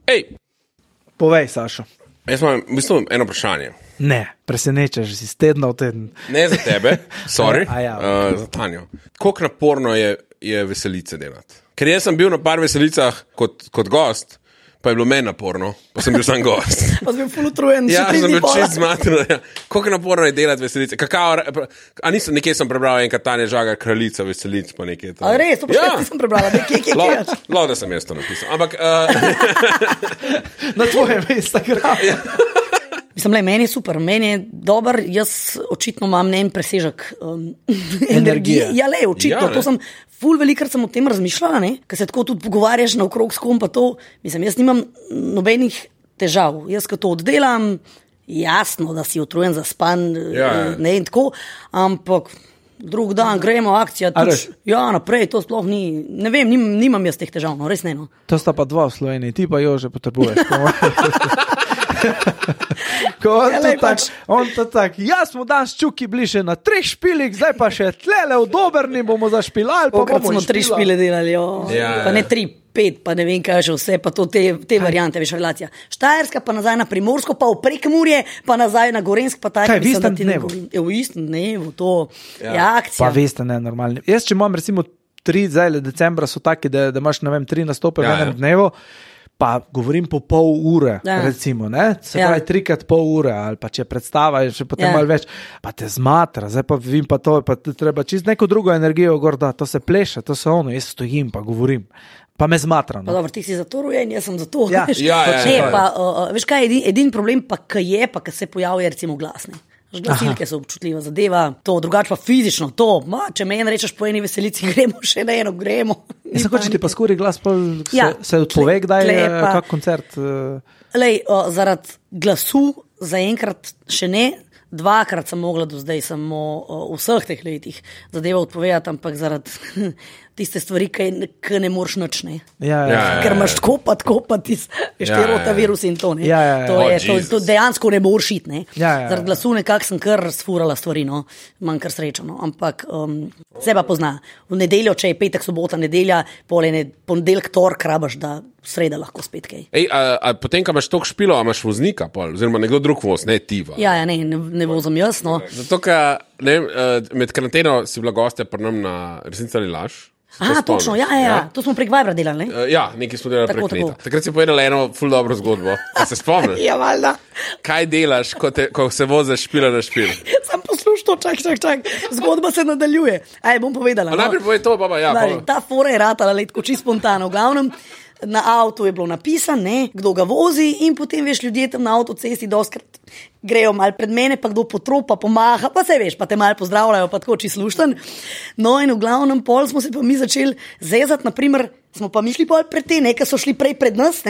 Ej, Povej, Sašo. jaz imam v bistvu eno vprašanje. Ne, presenečaš si z tedna v teden. Ne za tebe, sorry, Ja. za Tanjo. Koliko naporno je veselice delati? Ker jaz sem bil na par veselicah kot gost, pa je bilo meni naporno, pa sem bil sam gost. Pa sem bil ful utrujen. Ja, sem bil čist zmaten. Ja. Koliko naporno je delati veselice? Nekje sem prebral enkrat Tanja Žagar, kraljica veselic, pa nekaj. A res, to pa še nisem prebrala, kje. Da sem jaz to napisal. Ampak, Na tvojem Instagramu. Mislim, meni je super, meni je dober, jaz očitno imam en presežek energije. Ja, očitno, to sem ful velikrat sem o tem razmišljala, ker se tako tudi pogovarjaš na okrog s kom, pa to, mislim, jaz nimam nobenih težav. Jaz, ko to oddelam, jasno, da si utrujen, zaspan, ne in tako, ampak drug dan gremo, akcija, naprej, to sploh ni, ne vem, nimam jaz teh težav, res ne. To sta pa dva v Sloveniji, ti pa Jože potrebuješ. On to tak, jaz smo danes čuki bliže na 3 špilih, zdaj pa še tlele v Dobrni bomo zašpilali. Pokrat smo 3 špile delali, pa ne 3, 5, pa ne vem kaj še vse, pa to te variante, veš, relacija. Štajerska, pa nazaj na Primorsko, pa v Prekmurje, pa nazaj na Gorensk, pa tako. Kaj, v istem dnevu? V istem dnevu, to je akcija. Pa veste, ne, normalni. Jaz, če imam recimo 3, zdaj decembra so taki, da imaš, ne vem, 3 nastope v enem dnevu, pa govorim po pol ure, recimo, ne? Se pravi 3x pol ure, ali pa če predstava je še potem malo več, pa te zmatra, zdaj pa vim pa to, pa te treba čist neko drugo energijo gor, da to se pleše, to se ono, jaz stojim pa govorim, pa me zmatra. Pa dobro, ti si za to rojen, jaz sem za to. Veš kaj, edin problem pa, kaj je, pa kaj se pojavi, recimo glasne. Glasilke so občutljiva zadeva, to drugače pa fizično, če meni rečeš po eni veselici, gremo še na eno, gremo. Jaz hoče ti pa skori glas, se odpove, kdaj je kak koncert? Zaradi glasu zaenkrat še ne, 2-krat sem mogla do zdaj samo v vseh teh letih zadeva odpovedati, ampak zaradi tiste stvari, ki ne moreš nič, ne. Ker imaš tako pa tisti rotavirus in to, ne. To dejansko ne moreš iti, ne. Zaradi glasu nekako sem kar sfurala stvari, no. Manj kar srečo, no. Ampak se pa pozna. V nedeljo, če je petek, sobota, nedelja, ponedeljek, torek rabaš, da sreda lahko spet kaj. Potem, ko imaš toliko špilo, imaš voznika, oziroma nekdo drug voz, ne ti. Ne vozim jaz, no. Zato, ker med karanteno si bila gostja pri nam na Resnica ali laž. Točno, to smo prek Vibra delali, ne? Nekaj smo delali prek Neta. Takrat si povedala eno ful dobro zgodbo. A se spomniš? Valjda. Kaj delaš, ko se voziš špila na špil? Sam poslušal, čak. Zgodba se nadaljuje. Bom povedala. Najprej povej to, baba, Ta fora je ratala, tako čisto spontano. V glavnem, na avtu je bilo napisano, kdo ga vozi in potem, veš, ljudje tam na avtocesti doskrat grejo malo pred mene, pa kdo potropa, pomaha, pa se veš, pa te malo pozdravljajo, pa tako čisto slušten. No in v glavnem pol smo se pa mi začeli zezati, naprimer, smo pa mi šli pol pred te, ki so šli prej pred nas,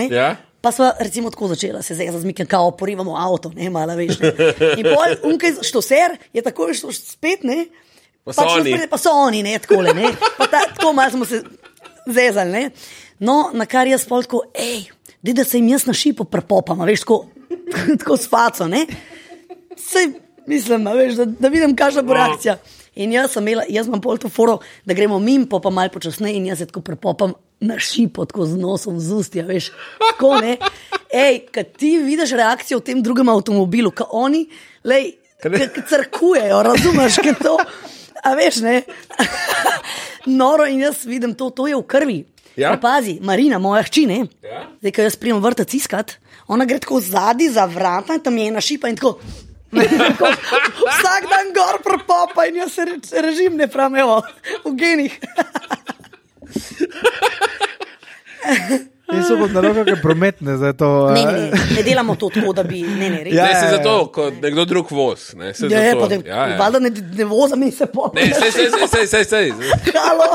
pa smo recimo tako začela se zezati z Mikem, kao porivamo avto, malo veš, ne. In pol unkaj štoser je tako šlo spet, ne. Pa so oni, ne, takole, ne. Pa tako malo smo se zezali, ne. No, na kar jaz pol tako, da se jim jaz na šipo prepopam, veš, tako s faco, ne? Sej, mislim, veš, da vidim, kakšna bo reakcija. In jaz imam pol to foro, da gremo mim, pa malo počasneje in jaz se tako prepopam na šipo, tako z nosom, z ustja, veš, tako, ne? Kad ti vidiš reakcijo v tem drugem avtomobilu, ka oni, crkujejo, razumeš, ka to, a veš, ne? Noro in jaz vidim to je v krvi. Pa pazi, Marina, moja hči, ne? Zdaj, ko jaz prijem vrtec iskat, ona gre tako zadnji za vrata in tam je ena šipa in tako vsak dan gor prepopa in jaz se režim ne pravim, evo, v genih. Niso pod naroka, kaj prometne za to. Ne delamo to tako, da bi, res. Ne, se zato, kot nekdo drug voz. Valjda ne vozam in se popne. Sej. Halo.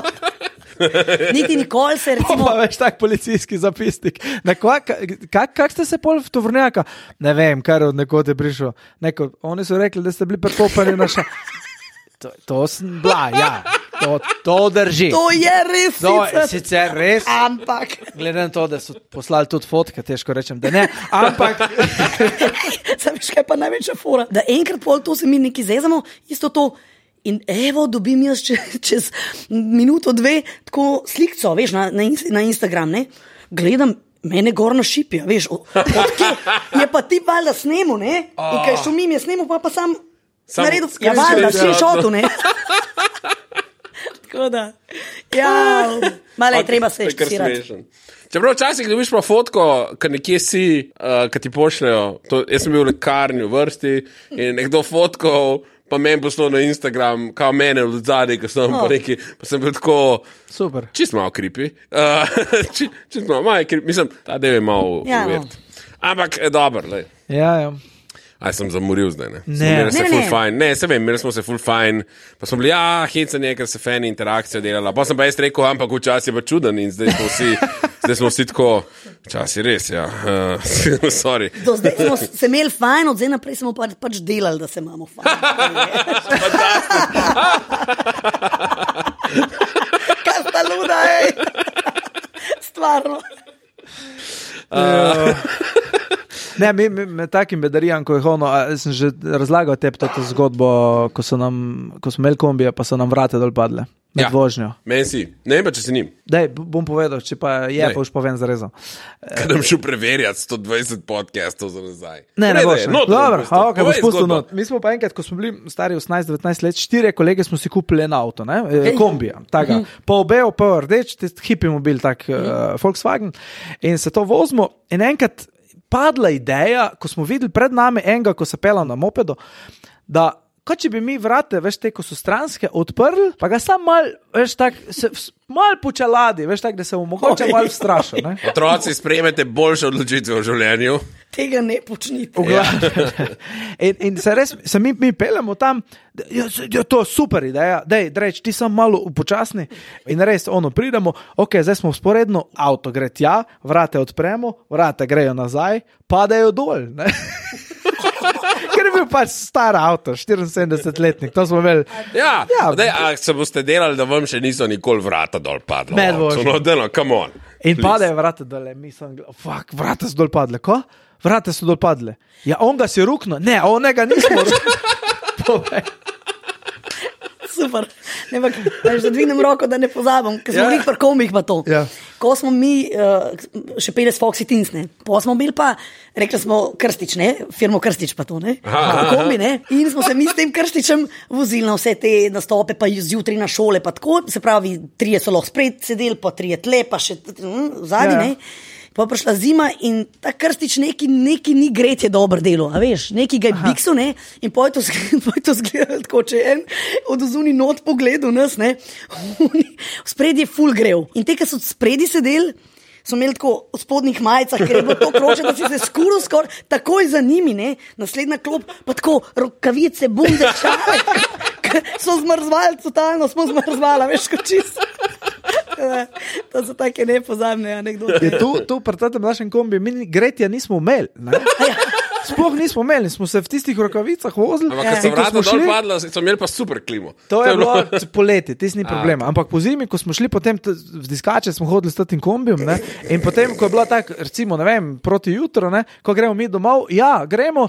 Niti nikoli se recimo... Pa veš tak policijski zapisnik. Kak ste se pol v tovornjaka? Ne vem, kar od nekod je prišel. Oni so rekli, da ste bili prepopani na ša... To sem bila, To drži. To je res sicer res. Ampak... Glede na to, da so poslali tudi fotke, težko rečem, da ne. Ampak... Veš, kaj pa največja fora? Da enkrat pol to se mi nekaj zezamo, isto to... In evo, dobim jaz čez minuto, 2 tako slikco, veš, na Instagram, ne? Gledam, Mene gor na šipja, veš, je pa ti valjda snemu, ne? In kaj šumim je snemu, pa sam naredil, ja valjda, screenshot, ne? Tako da, ja, malo je treba se ščirati. Čeprav včasih dobiš pa fotko, kad nekje si, kad ti pošljajo, jaz sem bil v lekarni v vrsti in nekdo fotkal, pa meni poslal na Instagram, kao mene v zadnji, ko sem pa neki, pa sem bil tako, super. Čist malo creepy, čist malo creepy, mislim, ta del je malo uvert. Ampak, dobro, lej. Ja. Aj, sem zamoril zdaj, ne? Ne. Se vem, imeli smo se full fine, pa smo bili, hecanje, ker se fani interakcijo delala, pa sem pa jaz rekel, ampak včasih je pa čuden in zdaj smo vsi tako, včasih res, ja, sorry. Do zdaj smo se imeli fajn, od zdaj naprej smo pač delali, da se imamo fajn. Kaj sta luda, Stvarno. Ne, me takim bedarijam, ko je ono, sem že razlagal tebi to zgodbo, ko smo imeli kombije, pa so nam vrate dol padle. Med vožnjo. Meni si. Ne vem pa, če si njim. Daj, bom povedal, če pa je, pa už povem zarezo. Kad bom šel preverjati 120 podcastov za nazaj. Ne boš. Dobro, boš pustil not. Mi smo pa enkrat, ko smo bili stari 18-19 let, 4 kolege smo si kupili en avto, kombija, taka. Pa obel, pa rdeč, hipi mobil, tak Volkswagen. In se to vozimo in enkrat padla ideja, ko smo videli pred nami enega, ko se pela na mopedu, da kot če bi mi vrate, veš, te, ko so stranske, odprli, pa ga sam mal, veš, tak, mal počeladi, veš, tak, da se mu mogoče mal strašil, ne? Otroci, sprejmete boljše odločitve v življenju. Tega ne počnite. In se mi peljamo tam, to je super ideja, reč, ti sam malo upočasni in res, pridemo, zdaj smo sporedno, avto gre tja, vrate odpremo, vrate grejo nazaj, padajo dol, ne? Ker je bil pač star avto, 74-letnik, to smo imeli. Ja. Se boste delali, da vam še niso nikoli vrata dol padla. Come on. In padajo vrata dol, mislim, vrata so dol padle, ko? Vrata so dol padle. Ja, on ga si rukno, ne, onega nismo rukno. Super. Da dvignem roko, da ne pozabim, ker smo pri komih pa to. Ja. Ko smo mi še peli s Foxy Teens, pa smo bili pa, rekli smo Krstič, firmo Krstič pa to, kombi, in smo se mi s tem Krstičem vozili na vse te nastope, pa zjutraj na šole, pa tako, se pravi, 3 so lahko spred sedeli, pa 3 tle, pa še zadnji, Pa prišla zima in ta Krstič neki ni gretje dobro delo, a veš, neki ga je biksu, in poj to zgledal tako, če en od ozuni not pogledal nas, spredi je ful grev. In te, ki so spredi sedeli, so imeli tako v spodnjih majicah, ker je bilo to kroče, da si se skuril skoraj takoj za njimi, naslednja klop, pa tako rokavice, bunde, čale, so zmrzvali, totalno smo zmrzvali, veš, kot čisto. To so take nepozabne anekdote. Tu pri tem našem kombi mi gretja nismo imeli, Sploh nismo imeli, smo se v tistih rokavicah vozili. Ampak, ko so vrata dol padla, so imeli pa super klimo. To je bilo poleti, tis ni problema. Ampak po zimi, ko smo šli potem v diskače, smo hodili s tem kombijom, in potem, ko je bila tak, recimo, ne vem, proti jutro, ko gremo mi domov, gremo,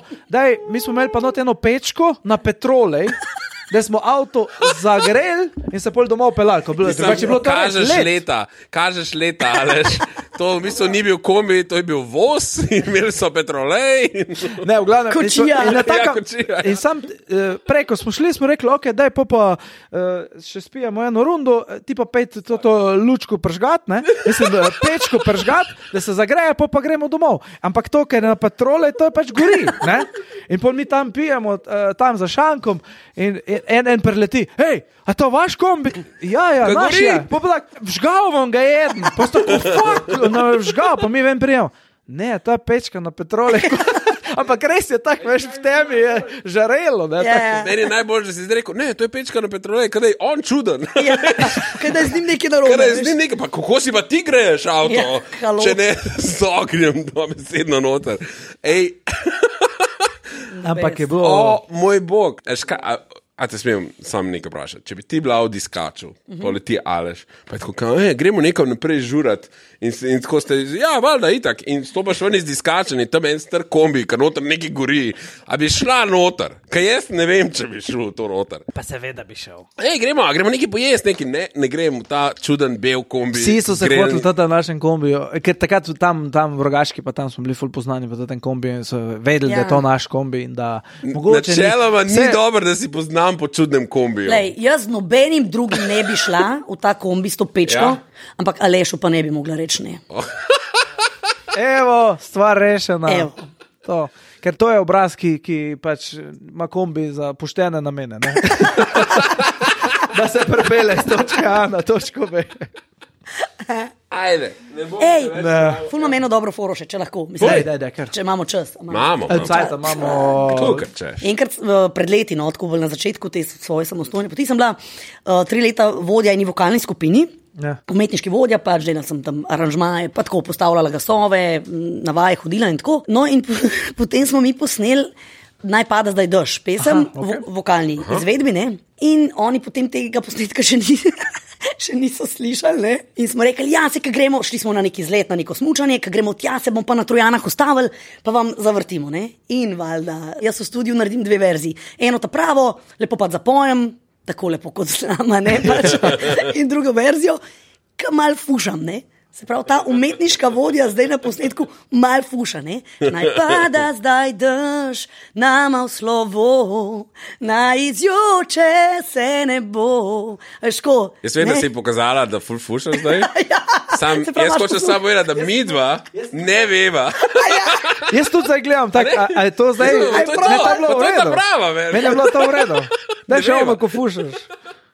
mi smo imeli pa not eno pečko na petrolej, da smo avto zagreli in se pol domov pelali. Kažeš leta, aleš. To v bistvu ni bil kombi, to je bil voz, imeli so petrolej. Ne, v glavnem. Kočija. In sam preko smo šli, smo rekli, daj pa še spijemo eno rundo, ti pa pejte to lučko pržgat, mislim, pečko pržgat, da se zagreje, pa gremo domov. Ampak to, ker je na petrolej, to je pač gori, In pol mi tam pijemo, tam za šankom in en preleti, hej, a to vaš kombi? Ja, naš je. Pa tak, vžgal vam ga jeden, pa sta vžgal, pa mi vem prijemo. Ne, to je pečka na petrole. Ampak res je tako, veš, v temi je žarelo. Meni je najbolj, da si zdaj rekel, ne, to je pečka na petrole, kada je on čuden. Kada je z njim nekaj narobe. Pa kako si pa ti greješ avto, če ne z ognjem, dobesedno noter. Ej. Ampak je bilo... Moj bog. A te smem sam nekaj vprašati. Če bi ti bila v diskaču, poleti Aleš, pa je tako, gremo nekam naprej žurat in tako ste, valjda, itak, in stopaš ven iz diskača in tam en star kombi, ker noter nekaj gori. A bi šla noter? Kaj jaz ne vem, če bi šel to noter. Pa seveda bi šel. Gremo nekaj pojesti, ne gremo v ta čuden bel kombi. Vsi so se hoteli v našem kombiju, ker takrat tam v Rogaški, pa tam smo bili ful poznani v tem kombiju in so vedeli, da je to naš kombi in da mogoče... Načeloma ni dobro, da si poznam po čudnem kombiju. Lej, jaz nobenim drugim ne bi šla v ta kombi s to pečko, ampak Alešu pa ne bi mogla reči ne. Evo, stvar rešena. To. Ker to je obraz, ki pač ima kombi za poštene namene. Ne? Da se prepele z točke A na točko B. Ajde, ne bom. Ful imam eno dobro foro še, če lahko. Daj, če imamo čas. Imamo. Enkrat pred leti, tako na začetku te svoje samostojne poti, sem bila 3 leta vodja eni vokalni skupini, umetniški vodja, pač delala sem tam aranžmaje, pa tako postavljala glasove, na vaje hodila in tako. No in potem smo mi posneli Naj pada zdaj dež, pesem, vokalni izvedbi, ne? In oni potem tega posnetka še niso slišali, ne? In smo rekli, se, gremo, šli smo na neki izlet, na neko smučanje, gremo tja, se bom pa na Trojanah ustavili, pa vam zavrtimo, ne? In valjda, jaz v studiu naredim 2 verziji. Eno ta pravo, lepo pa zapojem, tako lepo kot z nama, ne? Pač. In drugo verzijo, ki mal fušam, ne? Se pravi, ta umetniška vodja zdaj na posnetku mal fuša, ne? Naj pada zdaj dež, nama v slovo, naj izjoče se ne bo. Ško? Jaz vem, da si pokazala, da ful fušaš zdaj. Jaz hočem samo vedeti, da mi dva ne veva. Jaz tudi zdaj gledam, a je to zdaj? To je ta prava, meni je bilo to v redu. Daj še ono, ko fušaš.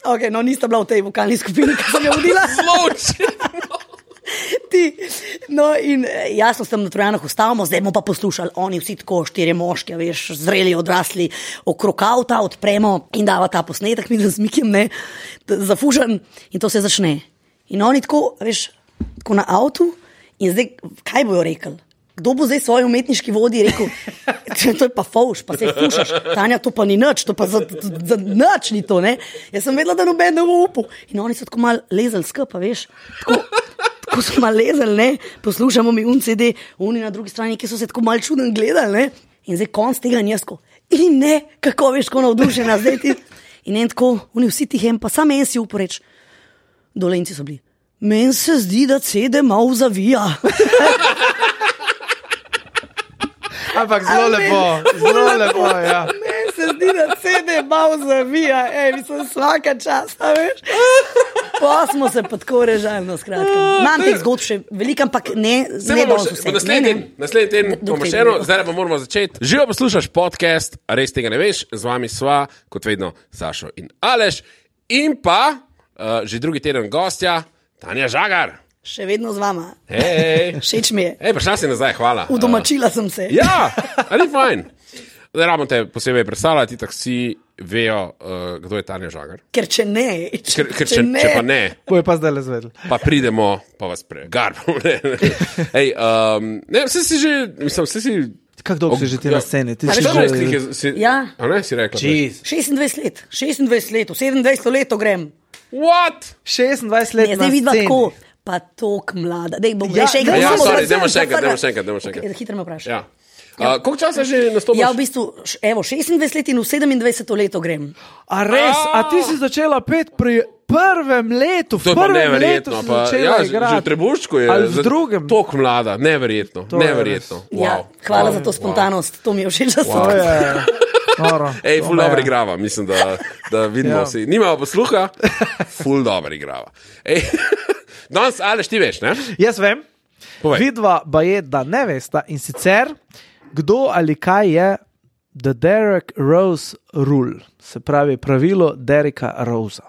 Ok, no nista bila v tej vokalni skupini, ki sem jo vodila. No in jasno sem na Trojanah ustavimo, zdaj bomo pa poslušali, oni vsi tako 4 moški, veš, zreli, odrasli, okrog avta odpremo in dava ta posnetek, mi da z Mikijem, ne, zafužen in to se začne. In oni tako, veš, tako na avtu in zdaj, kaj bojo rekli? Kdo bo zdaj svoj umetniški vodji rekel, to je pa fauš, pa se fušaš, Tanja, to pa ni nič, to pa za nič ni to, ne. Jaz sem vedela, da noben ne bo upal. In oni so tako malo lezali skupaj, veš, tako so malo lezali, ne, poslušamo mi CD, oni na drugi strani, ki so se tako malo čuden gledali, ne, in zdaj konc tega njesko. In ne, kako veš, ko navdušena zdaj ti. In en tako, oni vsi tihem, pa sam en si uporeč. Dolenci so bili. Meni se zdi, da CD malo zavija. Ampak zelo lepo, ja. Meni se zdi, da CD malo zavija, mislim, svaka čas, veš. Pa smo se pa tako režali, no skratka. Imam teh zgodb še veliko, ampak ne danes vse. Naslednji teden bomo še eno, zdaj pa moramo začeti. Živo poslušaš podcast, res tega ne veš, z vami sva, kot vedno, Sašo in Aleš. In pa, že drugi teden gostja, Tanja Žagar. Še vedno z vama. Všeč mi je. Prišla si nazaj, hvala. Udomačila sem se. Ja, ali fajn. Zdaj rabim te posebej predstavljati, tako vsi vejo, kdo je Tanja Žagar. Ker če ne. Če pa ne. Boje pa zdaj le zvedel. Pa pridemo, pa vas pregarbamo. Vse si že, mislim, vse si... Kako dolgo si že ti na sceni? Ja. A ne, si rekla? 26 let. 26 let, v 27 leto grem. What? 26 let na sceni. Tako, pa tok mlada. Dej, bom še enkrat. Ja, sorry, dajmo še enkrat. Hitro me vprašaj. Ja. Koliko časa že nastopaš? Ja, v bistvu, evo, 26 let in v 27 leto grem. A res? A ti si začela pet pri prvem letu? To je pa neverjetno. Že v Trebuščku je v drugem. Tok mlada, neverjetno. Ja, hvala za to spontanost, to mi je všeč, da so. Ful dobro igrava, mislim, da vidimo si. Nimamo posluha, ful dobro igrava. Danes, Aleš, ti veš, ne? Jaz vem. Vidva ba je, da ne vesta in sicer, kdo ali kaj je The Derek Rose Rule, se pravi pravilo Dereka Rosea.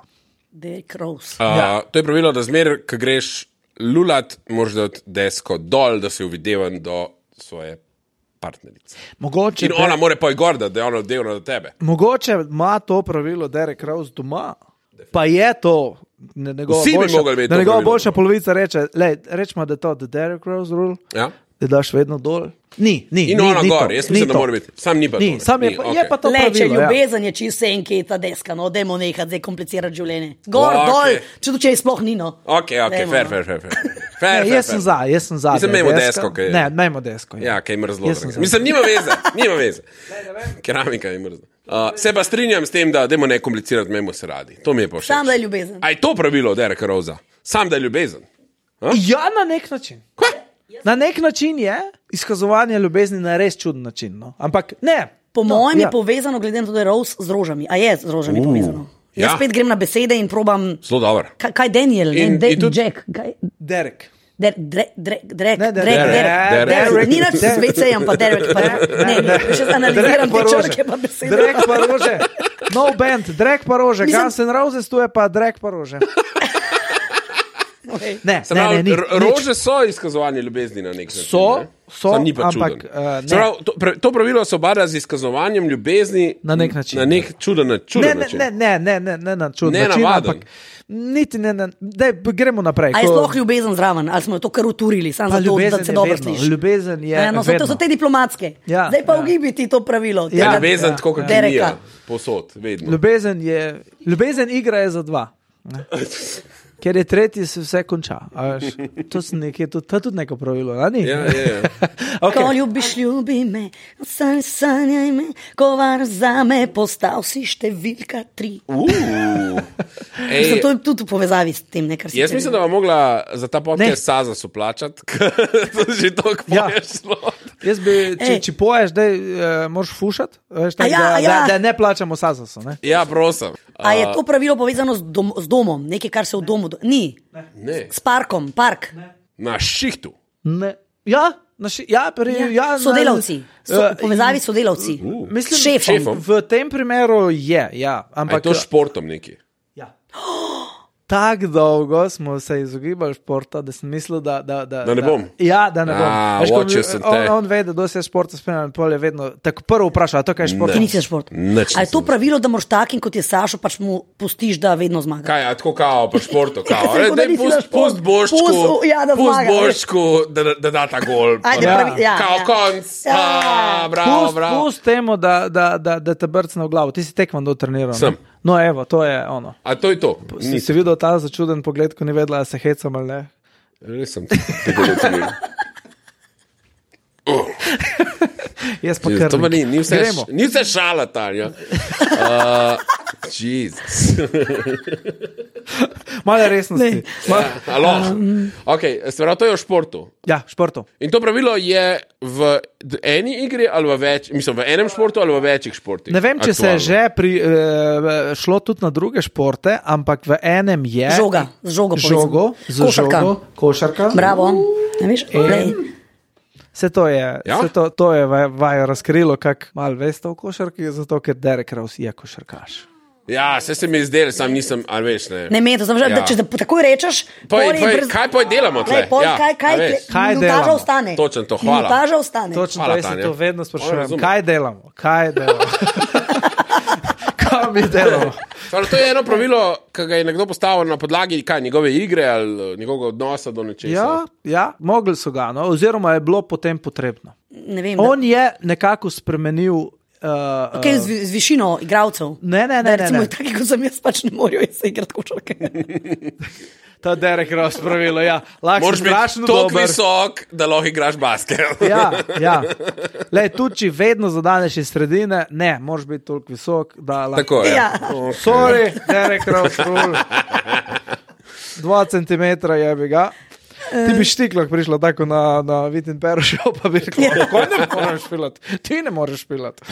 Derek Rose. To je pravilo, da zmer, ko greš lulat, moraš dati desko dol, da si uvidevan do svoje partnerice. Mogoče in ona more pa gor, da je ona delna do tebe. Mogoče ima to pravilo Derek Rose doma, pa je to njegova boljša polovica reče, rečemo, da je to The Derek Rose Rule. Ja. da daš vedno dol. Ni. In ona gor, jaz mislim, da mora biti. Sam ni pa to. Sam je pa to pravilo. Če ljubezen je čisto enketa deska, no, dajmo nekaj zdaj komplicirati življenje. Gor, dol, če je sploh ni, no. Ok, fair. Jaz sem za. Mislim, imamo desko, kaj je. Ne, imamo desko. Ja, kaj je mrzlo. Mislim, nima veze. Keramika je mrzlo. Se pa strinjam s tem, da dajmo ne komplicirati, imamo se radi. To mi je pa všeč. Sam da je ljubezen. A je to pravilo Dereka Rosea? Sam da je ljubezen? Ja, na nek način. Na nek način je izkazovanje ljubezni na res čuden način. No? Ampak ne. Po mojem je povezano, glede na to, da je Rose z rožami. A je z rožami povezano? Jaz spet grem na besede in probam. Zelo dobro. Kaj Daniel? Jack? Derek. Derek. Ni nač s VC-jem, pa Derek. Ne, še analiziram te črke pa besede. Derek pa rože. No band, Derek pa rože. Guns N' Roses, tu je pa Derek pa rože. Ne, rože so izkazovanje ljubezni na nek način. So, ni pa ampak to pravilo se obada z izkazovanjem ljubezni na nek način. Na nek čuden način. Ne na čuden način, ampak niti ne, daj, gremo naprej. A je sploh ljubezen zraven, ali smo to kar uturili, samo zato, da se dobro sliši? Ljubezen je vedno. To so te diplomatske. Ja, zdaj pa ugibiti to pravilo. Ja, ljubezen tako, kot je posod, vedno. Ljubezen igra je za dva. Ker je tretji, se vse konča. To je tudi neko pravilo, ali ni? Ja. Okay. Ko ljubiš, ljubi me, sanjaj me, ko var za me, postal si številka 3. To je tudi v povezavi s tem, nekaj. Jaz mislim, da vam mogla za ta podcast Sazasu plačati, to že toliko poješ slot. Jaz bi, če poješ, da moraš fušati, da ne plačamo Sazasu. Ne? Ja, prosim. A je to pravilo povezano z domom, nekaj, kar se v domu... Ni. Ne. S parkom, park. Ne. Na šihtu. Ne. Ja, sodelavci. V povezavi s sodelavci. Šefom. V tem primeru je, ja. Ampak je to športom neki? Ja. Tako dolgo smo se izogibali športa, da sem mislil, da ne bom. Ja, da ne bom. On ve, da dosti je športa spremljal, pol je vedno tako prvo vprašal, a to kaj je šport? Ti nisi šport. A je to pravilo, da moraš takim, kot je Sašo, pač mu pustiš, da vedno zmaga? Kaj, a tako kao, pa športo kao. Pust Boščku, da da ta gol. Kao konc. Bravo. Pust temu, da te brcne v glavo. Ti si tekvando treniral. Sem. No, evo, to je ono. A to je to? Si videl ta začuden pogled, ko ni vedela, da se hecam ali ne? Res sem tega treniral. Jaz pa kar. To pa ni vse šala, Tanja. Jezus. Malo resnosti. Ok, se pravi, to je v športu. Ja, športu. In to pravilo je v eni igri ali v več, mislim, v enem športu ali v večjih športih? Ne vem, če se je že šlo tudi na druge športe, ampak v enem je... Žogo. Košarka. Bravo. Ne veš? Vse to je vajo razkrilo, kak malo veste o košarki, zato ker Derek Rose je košarkaš. Ja, se mi zdelo, sam nisem, ali veš, ne. Ne, to sem že, če takoj rečeš... Kaj poj delamo tle? Kaj delamo? Ostane. Točno to, hvala. Minutaža ostane. Točno to, jaz se to vedno sprašujem. Kaj delamo? Kaj mi delamo? To je eno pravilo, ki ga je nekdo postavil na podlagi njegove igre ali njegovega odnosa do nečesa. Ja, mogli so ga, no, oziroma je bilo potem potrebno. Ne vem, on je nekako spremenil... z višino igralcev. Ne. Recimo, taki, kot sem jaz, pač ne morajo se igrati košarke. Ta Derek Rose pravilo, ja. Moraš biti toliko visok, da lahko igraš basket. Ja. Lej, tudi če vedno zadaneš iz sredine, ne, moraš biti toliko visok, da lahko... Tako je. Ja. Okay. Sorry, Derek Rose, 2 centimetra je bi ga. Ti bi štiklah prišla tako na Vitin Perošev, pa bi rekla, kako ne moreš špilati? Ti ne moreš špilati.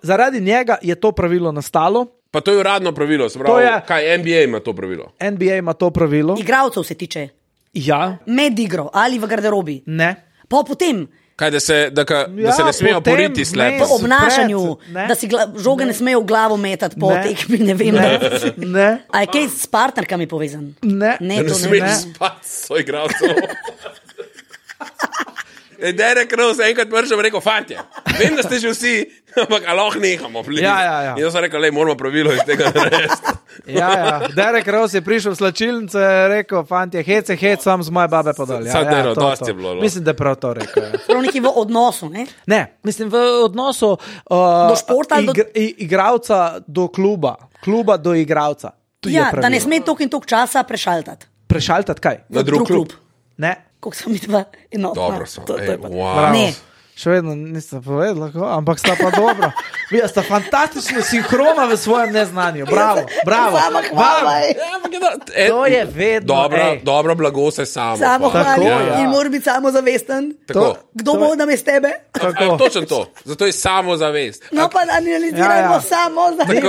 Zaradi njega je to pravilo nastalo. Pa to je uradno pravilo, se pravi, kaj NBA ima to pravilo? NBA ima to pravilo. Igralcev se tiče? Ja. Med igro ali v garderobi? Ne. Pa potem... Kaj, da se ne smejo poriti slepo? Po obnašanju, da si žoge ne smejo v glavo metati po tekmi, ne vem. Ne. A je kaj s partnerkami povezan? Ne. Ne smeš spati s svoj igralcem. Derek Rose enkrat prišel in rekel, fantje, vem, da ste že vsi, ampak lahko nehamo. Ja. In jaz sem rekel, moramo pravilo iz tega narediti. Ja. Derek Rose je prišel v slačilnico in rekel, fantje, hec, sam z moje babe podal. Dosti je bilo. Mislim, da je prav to rekel. Ja. Prav neki v odnosu, ne? Ne, mislim v odnosu do športa ali igralca do kluba do igralca. Ja, da ne sme toliko in toliko časa prešaltati. Prešaltati kaj? Na drug klub. Ne. Koliko sem videla enotna. Dobro so. Wow. Ne. Še vedno nisem povedala, ampak sta pa dobro. Vi sta fantastično sinhrona v svojem neznanju. Bravo. To je vedno. Dobro blago se samo. Samo hvali in mora biti samozavesten. Kdo bo namest tebe? Točno to. Zato je samozavest. No pa analizirajmo samozavest.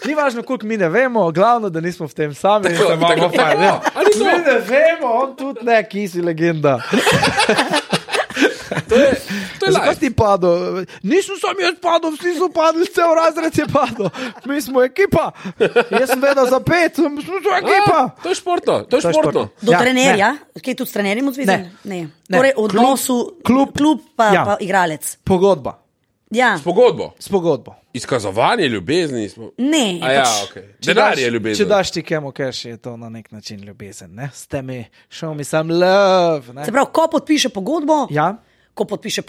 Ni važno, koliko mi ne vemo, glavno, da nismo v tem sami. Mi ne vemo, on tudi ne, ki si legenda. To je zakaj ti padel? Nisem sam jaz padel, vsi so padli, cel razred je padel. Mi smo ekipa. Jaz sem vedel za 5, smo ekipa. To je športno. Do trenerja? Kaj tudi s trenerjem odzvizen? Ne. Torej odnosu klub pa igralec. Pogodba. Ja. S pogodbo. Izkazovanje ljubezni. Ne. Denar je ljubezen. Če daš ti kemu cash, je to na nek način ljubezen. Ne? Ste mi, show me some love. Ne? Se pravi, ko podpiše pogodbo, ko podpiše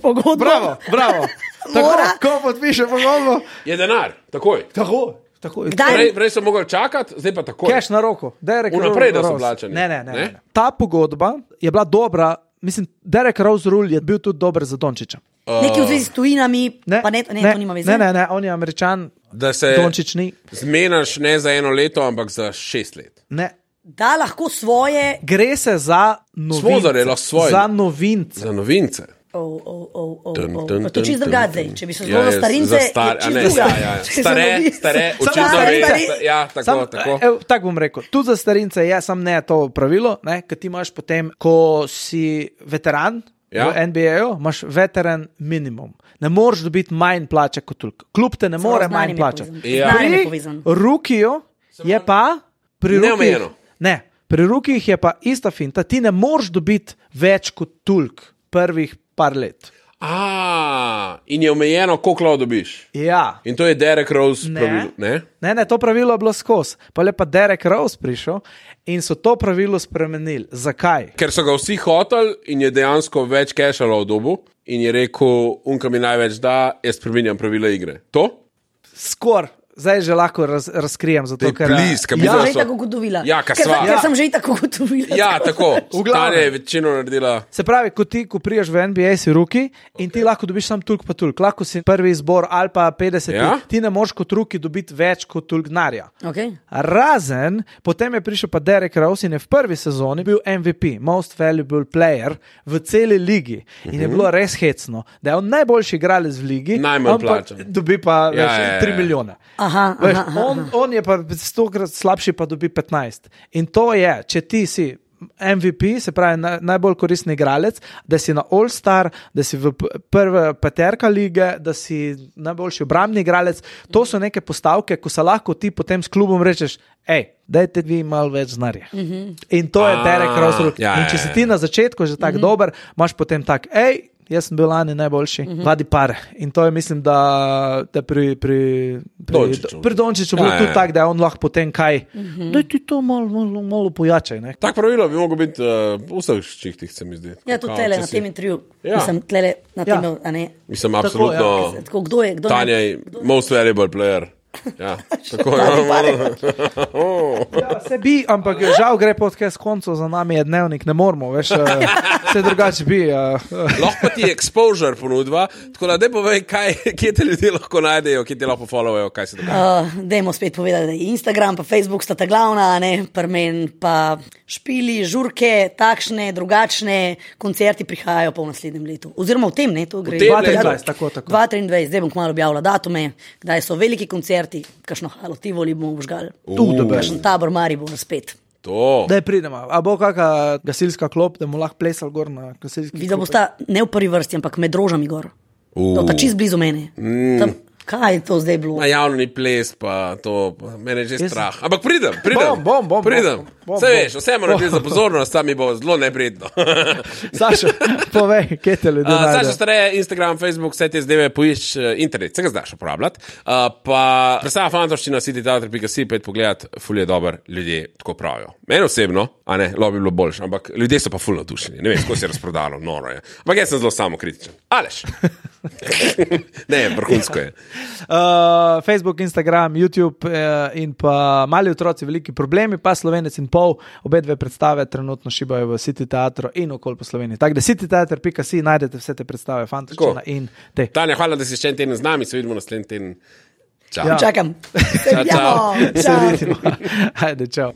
pogodbo. Bravo. Ko podpiše pogodbo. Je denar, takoj. Prej so mogli čakati, zdaj pa takoj. Cash na roko. Vnaprej, da so plačani. Ne. Ta pogodba je bila dobra. Mislim, Derek Rose Rule je bil tudi dober za Dončiča. Neki v zvezi s tujinami, pa ne, to nima veze. Ne, on je Američan, da se Dončič ni. Zmenaš ne za 1 leto, ampak za 6 let. Ne. Da lahko svoje... Gre se za novince. Za novince. To čist drugače zdaj. Če bi se zelo za starince... Stare, očitno ve. Ja, tako. Tako bom rekel. Tudi za starince je sam ne to pravilo, ker ti imaš potem, ko si veteran v NBA-ju, imaš veteran minimum. Ne moreš dobiti manj plače kot toliko. Klub te ne more manj plačati. Pri rukiju je pa... Neomejeno. Ne, pri rukijih je pa ista finta. Ti ne moreš dobiti več kot toliko prvih par let. In je omejeno, koliko lahko dobiš. Ja. In to je Derek Rose pravilo, ne? Ne, to pravilo je bilo skozi. Pa je pa Derek Rose prišel in so to pravilo spremenili. Zakaj? Ker so ga vsi hoteli in je dejansko več kešalo v dobu in je rekel, unka mi največ da, jaz spreminjam pravila igre. To? Skor. Zdaj že lahko razkrijem, zato ker... Že tako gotovila. Ker sem že tako gotovila. Ja, tako. Stare je večino naredila. Se pravi, ko priješ v NBA, si ruki in ti lahko dobiš sam tulk pa tulk. Lahko si prvi izbor ali pa 50. Ti ne moš kot ruki dobiti več kot tulk denarja. Razen, potem je prišel pa Derek Rose in je v prvi sezoni bil MVP, Most Valuable Player v celi ligi. In je bilo res hecno, da je on najboljši igralec v ligi. Najmanj plačan. Dobi pa 3 milijone. On je pa 100krat slabši, pa dobi 15. In to je, če ti si MVP, se pravi najbolj koristni igralec, da si na All-Star, da si v prve peterka lige, da si najboljši obrambni igralec, to so neke postavke, ko se lahko ti potem s klubom rečeš, dajte vi malo več znarja. In to je Derek Rose. In če si ti na začetku že tak dober, imaš potem tak, jaz sem bil lani najboljši, vadi par. In to je, mislim, da pri Dončiću bilo tudi tako, da je on lahko potem kaj, da ti to malo pojačaj. Tak pravilo bi mogel biti v vseh čihtih, se mi zdi. Ja, tudi tele na tem intervju. Mislim, tlele na tem, a ne. Mislim, absolutno. Kdo je? Tanja je most valuable player. Ja, tako se bi, ampak žal gre podcast koncu, za nami je dnevnik, ne moramo, veš, se drugače bi. Lahko ti exposure ponudva, tako da povej, kje te ljudje lahko najdejo, kje te lahko followajo, kaj se dogaja. Dajmo spet povedati, da je Instagram pa Facebook sta ta glavna, Prmen pa špili, žurke, takšne, drugačne, koncerti prihajajo pa v naslednjem letu. Oziroma v tem, to gre. 2023, tako. 2023, zdaj bom kmalu objavila datume, kdaj so veliki koncerti, kakšno Halo Tivoli bomo vžgali. Kakšen Tabor Maribor spet. To. Daj pridemo. A bo kakšna gasilska klop, da mu lahko plesal gor na gasilski klop? Videla bosta ne v prvi vrsti, ampak med rožami gor. To pa čist blizu mene. Kaj je to zdaj bilo? Na javni ples, pa to, mene je že strah. Ampak pridem. Bom. Vse veš, vse moram narediti za pozornost, tam mi bo zelo neprijetno. Saša, povej, kje te ljudje najdejo? Saša Stareje, Instagram, Facebook, vse te zdaj poišč internet, se ga znaš uporabljati. Pa predstava Fantovščina, cityteater.si, pet pogledat, ful je dober, ljudje tako pravijo. Meni osebno, a ne, lo bi bilo boljše, ampak ljudje so pa ful navdušeni. Ne vem, kako se je razprodalo, noro je. Ampak jaz sem zelo samokritičen. Aleš. Ne, vrhunsko je. Facebook, Instagram, YouTube in pa Mali otroci, veliki problemi, pa Slovenec in pol, obe dve predstave trenutno šibajo v City Teatru in okoli po Sloveniji. Tako da cityteater.si najdete vse te predstave, Fantovščina in te. Tanja, hvala, da si še en teden z nami, se vidimo naslednji teden. Čau. Čakam. Čau. Se vidimo. Ajde, čau.